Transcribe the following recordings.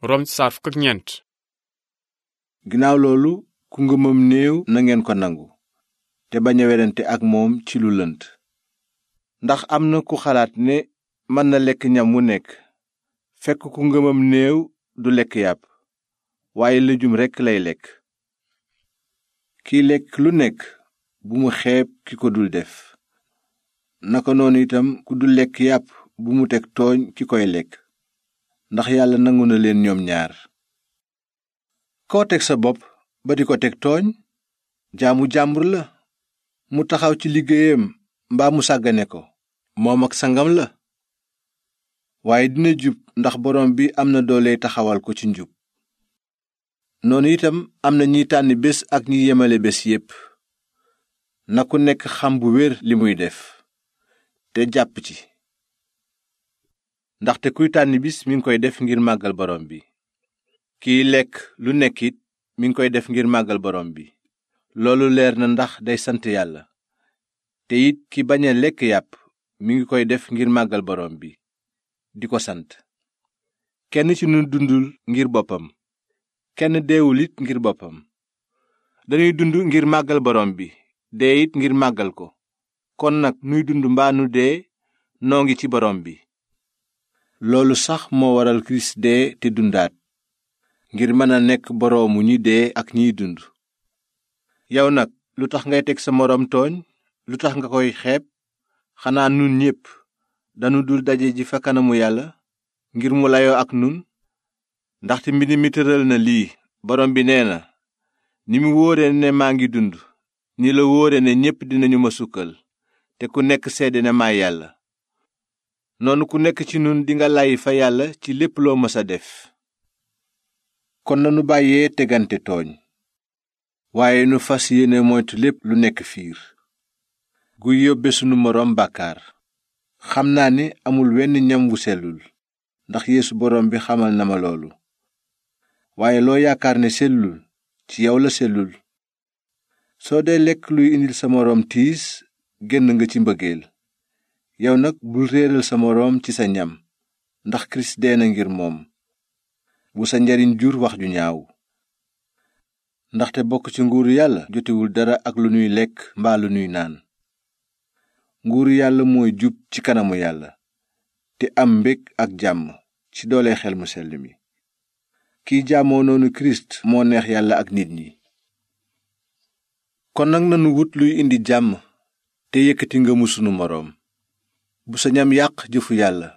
Rom saar fukk ak ñeent. ginnaaw loolu ku ngëmam néew na ngeen ko nangu te bañ a werante ak moom ci lu lënt. ndax am na ku xalaat ne mën na lekk ñam wu nekk fekk ku ngëmam néew du lekk yàpp waaye lëjum rekk lay lekk. kiy lekk lu nekk bu mu xeeb ki ko dul def. naka noonu itam ku dul lekk yàpp bu mu teg tooñ ki koy lekk ndax yàlla nangu na leen ñoom ñaar. koo teg sa bopp ba di ko teg tooñ jaamu jàmbur la, mu taxaw ci liggéeyam mbaa mu sàggane ko moom ak sangam la. waaye dina jub ndax borom bi am na doole taxawal ko ci njub. noonu itam am na ñiy tànn bés ak ñi yemale bés yépp. na ku nekk xam bu wér li muy def te jàpp ci, ndaxte kuy tànn bis mi ngi koy def ngir màggal borom bi. kiy lekk lu nekk it mi ngi koy def ngir màggal borom bi. loolu leer na ndax day sant yàlla. te it ki bañ a lekk yàpp mi ngi koy def ngir màggal borom bi di ko sant. kenn ci nu dundul ngir boppam, kenn deewul it ngir boppam. dañuy dund ngir màggal borom bi, dee it ngir màggal ko. kon nag nuy dund mbaa nu dee noo ngi ci borom bi. loolu sax moo waral kirist dee te dundaat ngir mën a nekk boroomu ñi dee ak ñiy dund. yow nag lu tax ngay teg sa moroom tooñ, lu tax nga koy xeeb? xanaa nun ñépp danu dul daje ji fa kanamu yàlla ngir mu layoo ak nun? ndaxte mbind mi tëral na lii, borom bi nee na, ni mu wóore ne maa ngi dund ni la wóore ne ñépp dinañu ma sukkal te ku nekk seede ne maay yàlla. noonu ku nekk ci nun dinga lay fa yàlla ci lépp loo mës a def. kon nanu bàyyee tegante tooñ, waaye nu fas yéene moytu lépp lu nekk fiir guy yóbbe sunu moroom bàkkaar. xam naa ni amul wenn ñam wu sellul, ndax Yeesu borom bi xamal na ma loolu. waaye loo yaakaar ne sellul ci yow la sellul. soo dee lekk luy indil sa moroom tiis génn nga ci mbëggeel. yow nag bul réeral sa moroom ci sa ñam, ndax Kirist dee na ngir moom. bu sa njariñ jur wax ju ñaaw. ndaxte bokk ci nguuru yàlla jotewul dara ak lu nuy lekk mbaa lu nuy naan. nguuru yàlla mooy jub ci kanamu yàlla te am mbég ak jàmm ci doole xel mu sell mi. kiy jaamoo noonu Kirist moo neex yàlla ak nit ñi. kon nag nanu wut luy indi jàmm te yëkkati ngëmu sunu moroom. bu sa ñam yàq jëfu yàlla,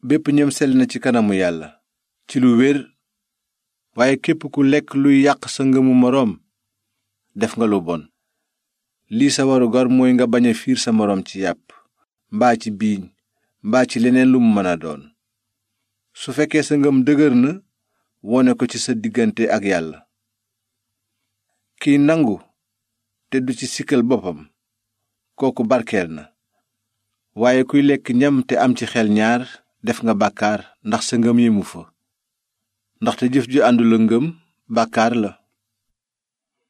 bépp ñam sell na ci kanamu yàlla ci lu wér. waaye képp ku lekk luy yàq sa ngëmu moroom def nga lu bon. lii sa warugar mooy nga bañ a fiir sa moroom ci yàpp mbaa ci biiñ mbaa ci leneen lu mu mën a doon. su fekkee sa ngëm dëgër na wone ko ci sa diggante ak yàlla. kiy nangu te du ci sikkal boppam kooku barkeel na. waaye kuy lekk ñam te am ci xel ñaar def nga bàkkaar ndax sa ngëm yemu fa. ndaxte jëf ju àndul ak ngëm bàkkaar la.